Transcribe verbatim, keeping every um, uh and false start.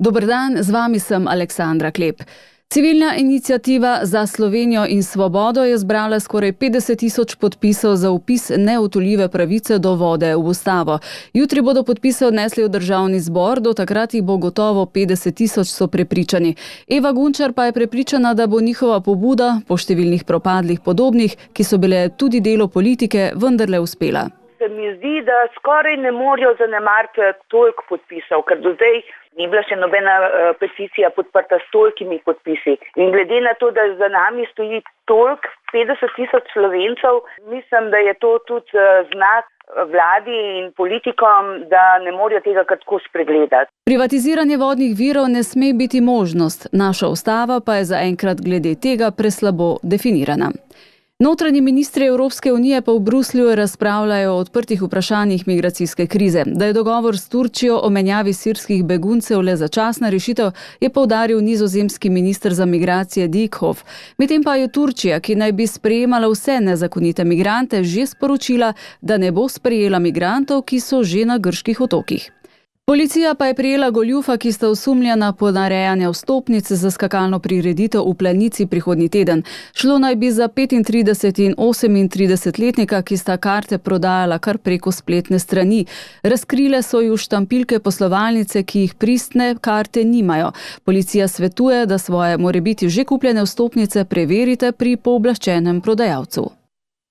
Dober dan, z vami sem Aleksandra Klep. Civilna iniciativa Za Slovenijo in svobodo je zbrala skoraj petdeset tisoč podpisov za vpis neodtujljive pravice do vode v ustavo. Jutri bodo podpise odnesli v državni zbor, do takrat jih bo gotovo petdeset tisoč, so prepričani. Eva Gunčar pa je prepričana, da bo njihova pobuda po številnih propadlih podobnih, ki so bile tudi delo politike, vendarle uspela. Se mi zdi, da skoraj ne morajo zanemariti toliko podpisov, ker do zdaj ni bila še nobena uh, peticija podprta s tolikimi podpisi. In glede na to, da za nami stoji toliko, petdeset tisoč Slovencev, mislim, da je to tudi uh, znak vladi in politikom, da ne morajo tega kar tako spregledati. Privatiziranje vodnih virov ne sme biti možnost, naša ustava pa je zaenkrat glede tega preslabo definirana. Notranji ministri Evropske unije pa v Bruslju razpravljajo o odprtih vprašanjih migracijske krize. Da je dogovor s Turčijo o menjavi sirskih beguncev le začasna rešitev, je poudaril nizozemski minister za migracije Dijkhoff. Medtem pa je Turčija, ki naj bi sprejemala vse nezakonite migrante, že sporočila, da ne bo sprejela migrantov, ki so že na grških otokih. Policija pa je prijela goljufa, ki sta osumljena ponarejanja vstopnic za skakalno prireditev v Planici prihodnji teden. Šlo naj bi za petintrideset- in osemintridesetletnika, ki sta karte prodajala kar preko spletne strani. Razkrile so ju štampilke poslovalnice, ki jih pristne karte nimajo. Policija svetuje, da svoje morebiti že kupljene vstopnice preverite pri pooblaščenem prodajalcu.